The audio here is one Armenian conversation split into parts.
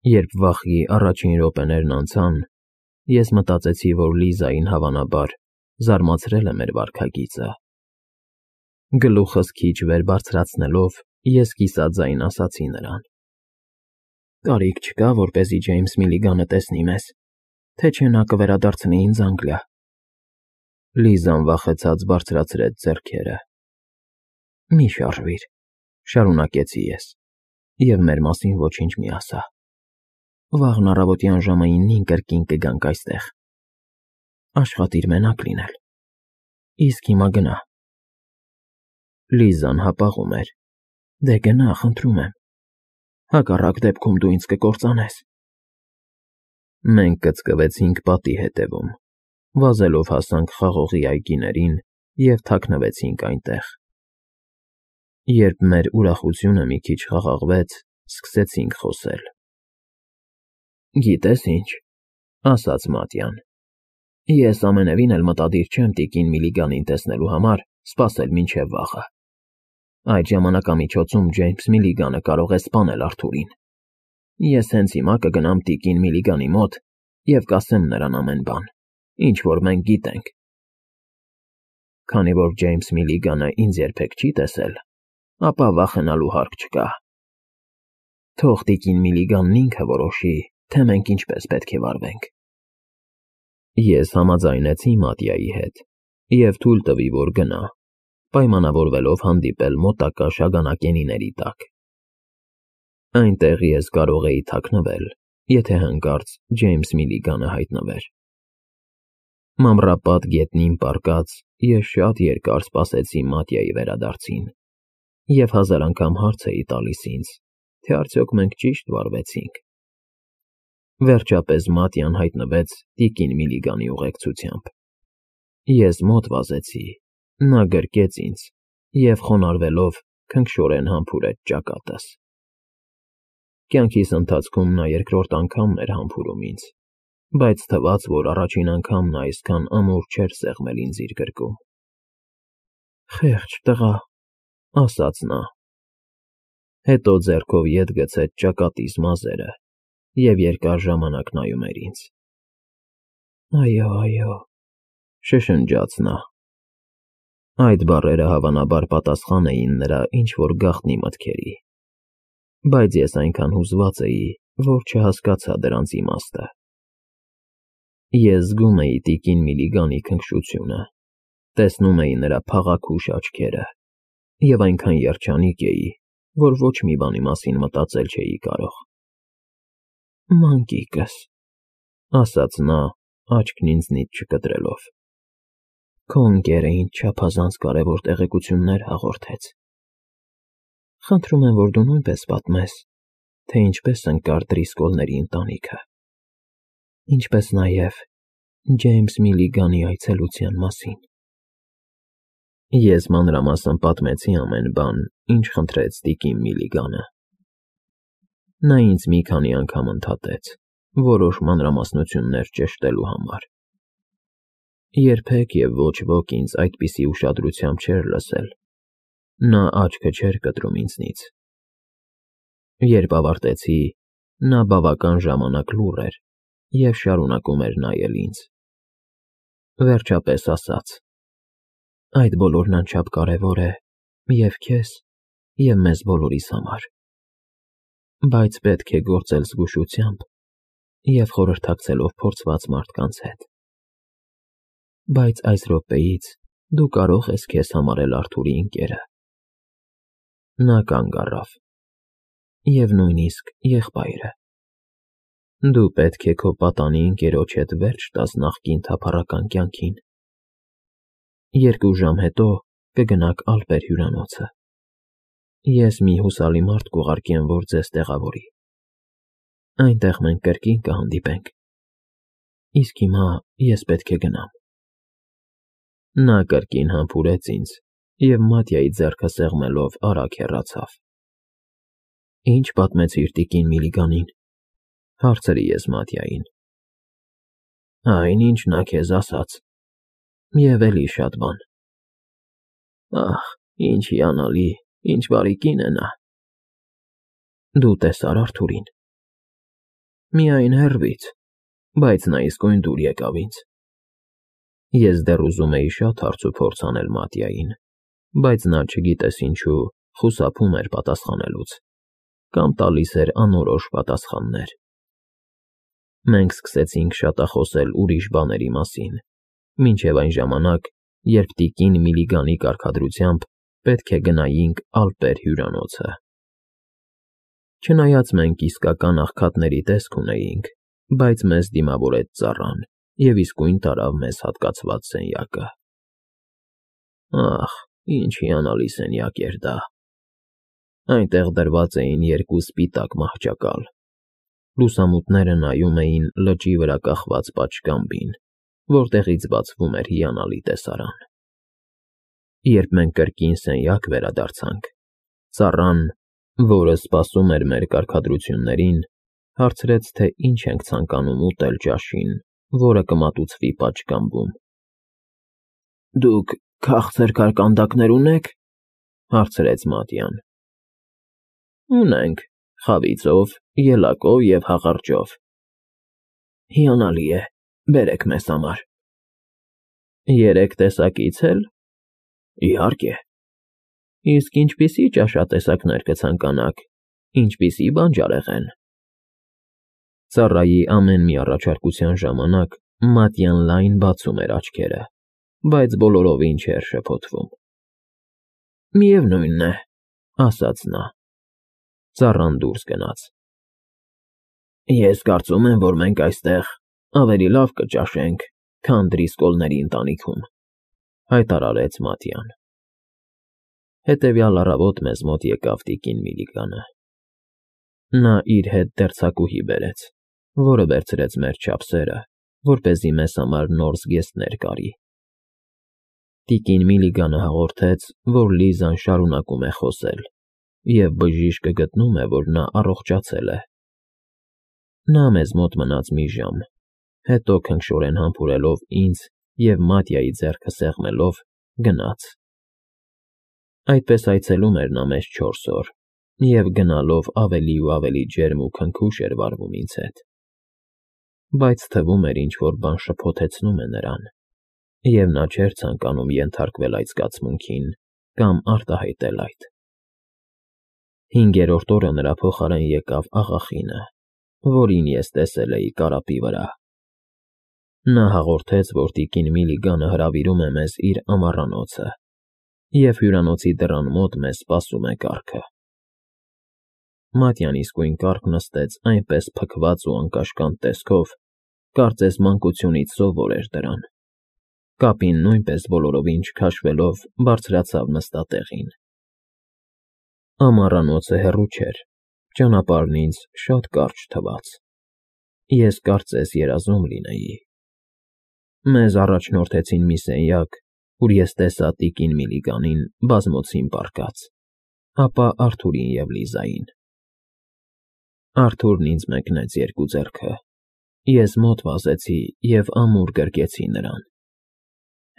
Երբ վախի առաջին րոպեներն անցան, ես մտածեցի, որ Լիզային հավանաբար զարմացրել է մեր վարքագիծը։ Գլուխս քիչ վեր բարձրացնելով, ես կիսաձայն ասացի նրան. «Կարիք չկա, որպեսզի Ջեյմս Միլիգանը տեսնի մեզ, թե չէ նա կվերադարձնի ինձ Անգլիա»։ Լիզան վախեցած բարձրացրեց ձեռքերը։ «Մի շարժվիր», շարունակեցի ես, «և մեր մասին ոչինչ մի ասա։ Վաղն առավոտյան ժամը 9-ին կրկին կգանք այստեղ։ Աշխատիր մենակ լինել։ Իսկ հիմա գնա»։ Լիզան հապաղում էր. «Դե գնա, խնդրում եմ։ Հակառակ դեպքում դու ինձ կկործանես»։ Մենք կծկվեցինք պատի հետևում, վազելով հասանք խաղողի այգիներին և թաքնվեցինք այնտեղ։ Երբ մեր ուրախությունը մի քիչ խաղաղվեց, սկսեցինք խոսել։ «Գիտես ինչ,֊ ասաց Մատյան,֊ ես ամենևին էլ մտադիր չեմ տիկին Միլիգանին տեսնելու համար սպասել մինչև վաղը։ Այդ ժամանակամիջոցում Ջեյմս Միլիգանը կարող է սպանել Արթուրին։ Ես հենց հիմա կգնամ տիկին Միլիգանի մոտ և կասեմ նրան ամեն բան, ինչ որ մենք գիտենք։ Քանի որ Ջեյմս Միլիգանը ինձ երբեք չի տեսել, ապա վախենալու հարկ չկա։ Թող տիկին Միլիգանն ինքը որոշի, թե մենք ինչպես պետք է վարվենք»։ Ես համաձայնեցի Մատյայի հետ և թույլ տվի, որ գնա, պայմանավորվելով հանդիպել մոտակա շագանակենիների տակ։ Այնտեղ ես կարող էի թաքնվել, եթե հանկարծ Ջեյմս Միլիգանը հայտնվեր։ Մանրապատ գետնին պառկած ես շատ երկար սպասեցի Մատյայի վերադարձին և հազար անգամ հարց էի տալիս ինձ, թե արդյոք մենք ճիշտ վարվեցինք։ Վերջապես Մատյան հայտնվեց տիկին Միլիգանի ուղեկցությամբ։ Ես մոտ վազեցի, նա գրկեց ինձ և խոնարհվելով քնքշորեն համբուրեց ճակատս։ Կյանքիս ընթացքում նա երկրորդ անգամն էր համբուրում ինձ, բայց թվաց, որ առաջին անգամ նա այսքան ամուր չէր սեղմել ինձ իր գրկում։ «Խեղճ տղա,֊ ասաց նա։ Հետո ձեռքով ետ գցեց ճակատիս մազերը և երկար ժամանակ նայում էր ինձ։ «Այո, այո,֊ շշնջաց նա։ Այդ բառերը հավանաբար պատասխան էին նրա ինչ֊որ գաղտնի մտքերի, բայց ես այնքան հուզված էի, որ չհասկացա դրանց իմաստը։ Ես զգում էի տիկին Միլիգանի քնքշությունը, տեսնում էի նրա փաղաքուշ աչքերը և այնքան երջանիկ էի, որ ոչ մի բանի մասին մտածել չէի կարող։ «Մանկիկս,֊ ասաց նա, աչքն ինձնից չկտրելով,֊ քո ընկերը ինձ չափազանց կարևոր տեղեկություններ հաղորդեց։ Խնդրում եմ, որ դու նույնպես պատմես, թե ինչպես ընկար Դրիսկոլների ընտանիքը, ինչպես նաև Ջեյմս Միլիգանի այցելության մասին»։ Ես մանրամասն պատմեցի ամեն բան, ինչ խնդրեց տիկին Միլիգանը։ Նա ինձ մի քանի անգամ ընդհատեց, որոշ մանրամասնություններ ճշտելու համար։ Երբեք և ոչ ոք ինձ այդպիսի ուշադրությամբ չէր լսել, նա աչքը չէր կտրում ինձնից։ Երբ ավարտեցի, նա բավական ժամանակ լուռ էր և շարունակում էր նայել ինձ։ Վերջապես ասաց. «Այդ բոլորն անչափ կարևոր է և քեզ, և մեզ բոլորիս համար, բայց պետք է գործել զգուշությամբ և խորհրդակցելով փորձված մարդկանց հետ։ Բայց այս րոպեից դու կարող ես քեզ համարել Արթուրի ընկերը»։ Նա կանգ առավ. «Եվ նույնիսկ եղբայրը։ Դու պետք է քո պատանի ընկերոջ հետ վերջ տաս նախկին թափառական կյանքին։ 2 ժամ հետո կգնաք Ալպեր հյուրանոցը։ Ես մի հուսալի մարդ կուղարկեմ, որ ձեզ տեղավորի։ Այնտեղ մենք կրկին կհանդիպենք։ Իսկ հիմա ես պետք է գնամ»։ Նա կրկին համբուրեց ինձ և Մատյայի ձեռքը սեղմելով արագ հեռացավ։ «Ինչ պատմեցիր տիկին Միլիգանին,֊ հարցրի ես Մատյային։ «Այն, ինչ նա քեզ ասաց, և էլի շատ բան։ Ահ, ինչ հիանալի, ինչ բարի կին է նա»։ «Դու տեսա՞ր Արթուրին»։ Միայն հեռվից, բայց նա իսկույն դուր եկավ ինձ։ Ես դեռ ուզում էի շատ հարց ու փորձ անել Մատյային, բայց նա, չգիտես ինչու, խուսափում էր պատասխանելուց կամ տալիս էր անորոշ պատասխաններ։ Մենք սկսեցինք շատախոսել ուրիշ բաների մասին, մինչև այն ժամանակ, երբ տիկին Միլիգանի կարգադրությամբ պետք է գնայինք Ալպեր հյուրանոցը։ Չնայած մենք իսկական աղքատների տեսք ունեինք, բայց մեզ դիմավորեց ծառան և իսկույն տարավ մեզ հատկացված սենյակը։ Ախ, ինչ հիանալի սենյակ էր դա։ Այնտեղ դրված էին երկու սպիտակ մահճակալ։ Լուսամուտները նայում էին լճի վրա կախված պատշգամբին, որտեղից բացվում էր հիանալի տեսարան։ Երբ մենք կրկին սենյակ վերադարձանք, ծառան, որը սպասում էր մեր կարգադրություններին, հարցրեց, թե ինչ ենք ցանկանում ուտել ճաշին, որը կմատուցվի պատշգամբում։ Դուք քաղցր կարկանդակներ ունե՞ք, հարցրեց Մատյան։ Ունենք, խավիծով, ելակով և հաղարջով։ Հիանալի է, բերեք մեզ համար։ Երեք տեսակից էլ։ Իհարկե։ Իսկ ինչպիսի ճաշատեսակներ կցանկանաք, ինչպիսի բանջարեղեն։ Ծառայի ամեն մի առաջարկության ժամանակ Մատյան լայն բացում էր աչքերը, բայց բոլորովին չէր շփոթվում։ Միևնույն է, ասաց նա։ Ծառան դուրս գնաց։ Ես կարծում եմ, որ մենք այստեղ ավելի լավ կճաշենք, քան Դրիսկոլների ընտանիքում, հայտարարեց Մատյան։ Հետևյալ առավոտ մեզ մոտ եկավ տիկին Միլիգանը։ Նա իր հետ դերձակուհի բերեց, որը վերցրեց մեր չափսերը, որպեսզի մեզ համար նոր զգեստներ կարի։ Տիկին Միլիգանը հաղորդեց, որ Լիզան շարունակում է խոսել, և բժիշկը գտնում է, որ նա առողջացել է։ Նա մեզ մոտ մնաց մի ժամ, հետո քնքշորեն համբուրելով ինձ և Մատյայի ձեռքը սեղմելով, գնաց։ Այդպես այցելում էր նա մեզ 4 օր, և գնալով ավելի ու ավելի ջերմ ու քնքուշ էր վարվում ինձ հետ։ Բայց թվում էր ինչ֊որ բան շփոթեցնում է նրան, և նա չէր ցանկանում ենթարկվել այդ զգացմունքին կամ արտահայտել այդ։ 5-րդ օրը նրա փոխարեն եկավ աղախինը, որին ես տեսել էի կարապի վրա։ Նա հաղորդեց, որ տիկին Միլիգանը հրավիրում է մեզ իր ամառանոցը, և հյուրանոցի դռան մոտ մեզ սպասում է կառքը։ Մատյան իսկույն կառք նստեց այնպես փքված ու անկաշկանդ տեսքով, կարծես մանկությունից սովոր էր դրան։ Կապին նույնպես բոլորովին չքաշվելով բարձրացավ նստատեղին։ Ամառանոցը հեռու չէր, ճանապարհն ինձ շատ կարճ թվաց։ Ես կարծես երազում լինեի։ Մեզ առաջնորդեցին մի սենյակ, ուր ես տեսա տիկին Միլիգանին բազմոցին պառկած, ապա Արթուրին և Լիզային։ Արթուրն ինձ մեկնեց երկու ձեռքը, ես մոտ վազեցի և ամուր գրկեցի նրան։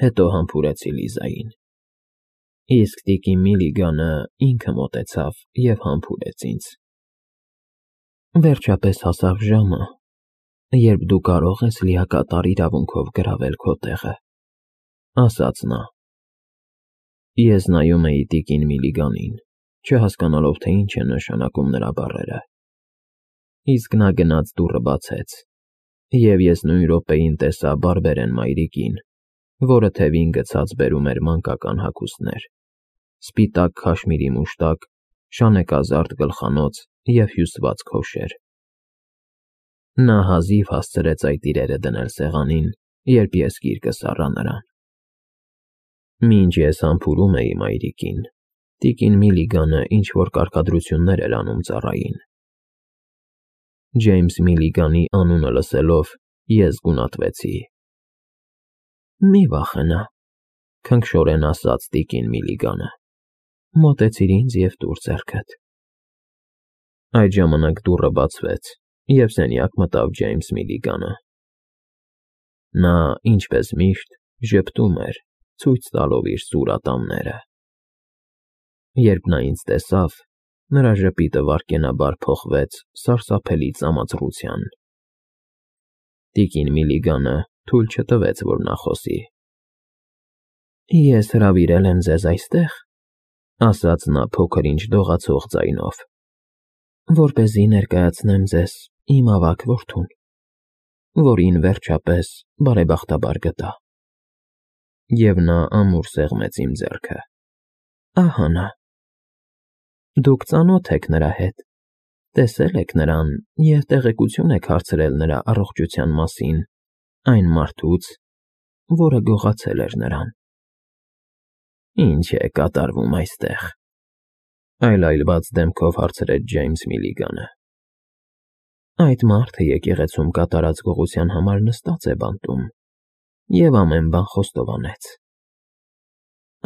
Հետո համբուրեցի Լիզային։ Իսկ տիկին Միլիգանը ինքը մոտեցավ և համբուրեց ինձ։ Վերջապես հասավ ժամը, երբ դու կարող ես լիակատար իրավունքով գրավել քո տեղը, ասաց նա։ Ես նայում էի տիկին Միլիգանին, չհասկանալով, թե ինչ են նշանակում նրա բառերը։ Իսկ նա գնաց դուռը բացեց, և ես նույն րոպեին տեսա բարբերեն մայրիկին, որը թևին գցած բերում էր մանկական հագուստներ, սպիտակ քաշմիրի մուշտակ, շանեկազարդ գլխանոց և հյուսված քոշեր։ Նա հազիվ հասցրեց այդ իրերը դնել սեղանին, երբ ես գիրկս առա նրան։ Մինչ ես համբուրում էի մայրիկին, տիկին Միլիգանը ինչ-որ կարգադրություններ էր անում ծառային։ Ջեյմս Միլիգանի անունը լսելով, ես գունատվեցի։ Մի վախենա, քնքշորեն ասաց տիկին Միլիգանը, մոտեցիր ինձ և տուր ձեռքդ։ Այդ ժամանակ դուռը բացվեց, և սենյակ մտավ Ջեյմս Միլիգանը։ Նա, ինչպես միշտ, ժպտում էր, ցույց տալով իր սուր ատամները։ Երբ նա ինձ տեսավ, նրա ժպիտը վայրկենաբար փոխվեց սարսափելի ծամածռության Տիկին Միլիգանը թույլ չտվեց, որ նա խոսի։ Ես հրավիրել եմ ձեզ այստեղ, ասաց նա փոքր-ինչ դողացող ձայնով, որպեսզի ներկայացնեմ ձեզ իմ ավագ որդուն, որին վերջապես բարեբախտաբար գտա։ Եվ նա ամուր սեղմեց իմ ձեռքը։ Ահա նա։ Դուք ծանոթ եք նրա հետ, տեսել եք նրան և տեղեկություն եք հարցրել նրա առողջության մասին այն մարդուց, որը գողացել էր նրան։ Ինչ է կատարվում այստեղ, այլայլված դեմքով հարցրեց Ջեյմս Միլիգանը։ Այդ մարդը եկեղեցում կատարած գողության համար նստած է բանտում և ամեն բան խոստովանեց։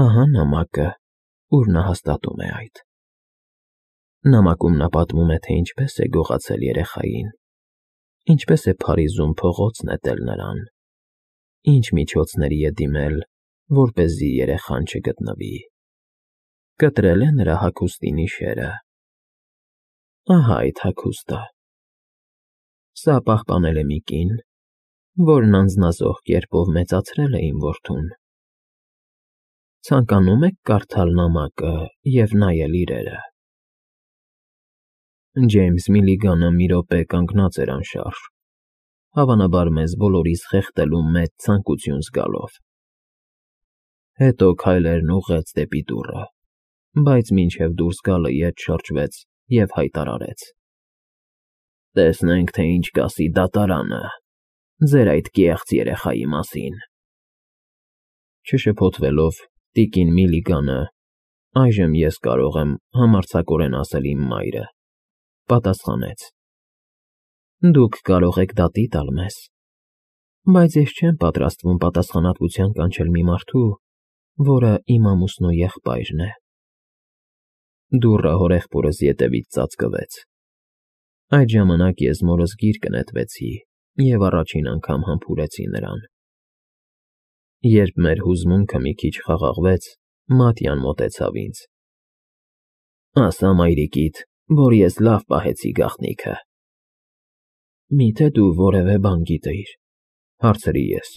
Ահա նամակը, ուր նա հաստատում է այդ։ Նամակում նա պատմում է, թե ինչպես է գողացել երեխային, ինչպես է Փարիզում փողոց նետել նրան, ինչ միջոցների է դիմել, որպեսզի երեխան չգտնվի, կտրել է նրա հագուստի նիշերը։ Ահա այդ հագուստը։ Սա պահպանել է մի կին, որն անձնազոհ կերպով մեծացրել է իմ որդուն։ Ցանկանում եք կարդալ նամակը և նայել իրերը։ Ջեյմս Միլիգանը մի րոպե կանգնած էր անշարժ, հավանաբար մեզ բոլորիս խեղդելու մեծ ցանկություն զգալով։ Հետո քայլերն ուղղեց դեպի դուռը, բայց մինչև դուրս գալը ետ շրջվեց և հայտարարեց. Տեսնենք, թե ինչ կասի դատարանը ձեր այդ կեղծ երեխայի մասին։ Չշփոթվելով, տիկին Միլիգանը, այժմ ես կարող եմ համարձակորեն ասել իմ մայրը, պատասխանեց. Դուք կարող եք դատի տալ մեզ, բայց ես չեմ պատրաստվում պատասխանատվության կանչել մի մարդու, որը իմ ամուսնու եղբայրն է։ Դուռը հորեղբորս ետևից ծածկվեց։ Այդ ժամանակ ես մորս գիրկը նետվեցի և առաջին անգամ համբուրեցի նրան։ Երբ մեր հուզմունքը մի քիչ խաղաղվեց, Մատյան մոտեցավ ինձ։ Ասա մայրիկիդ, որ ես լավ պահեցի գաղտնիքը։ Միթե դու որևէ բան գիտեիր, հարցրի ես։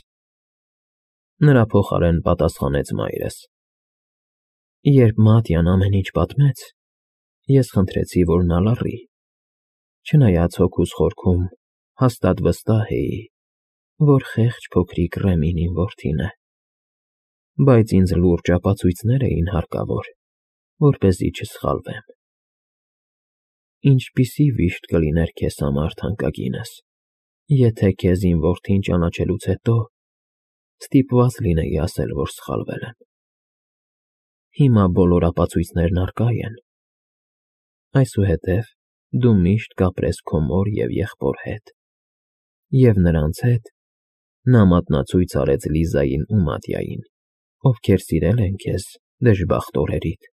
Նրա փոխարեն պատասխանեց մայրս։ Երբ Մատյան ամեն ինչ պատմեց, ես խնդրեցի, որ նա լռի, չնայած հոգուս խորքում հաստատ վստահ էի, որ խեղճ փոքրիկ Ռեմին իմ որդին է, բայց ինձ լուրջ ապացույցներ էին հարկավոր, որպեսզի չսխալվեմ։ Ինչպիսի վիշտ կլիներ քեզ համար, թանկագինս, եթե քեզ իմ որդին ճանաչելուց հետո ստիպված լինեի ասել, որ սխալվել եմ։ Հիմա բոլոր ապացույցներն առկա են։ Այսուհետև դու միշտ կապրես քո մոր և եղբոր հետ, և նրանց հետ նա մատնացույց արեց Լիզային ու Մատյային, ովքեր սիրել են քեզ դժբախտ օրերիդ։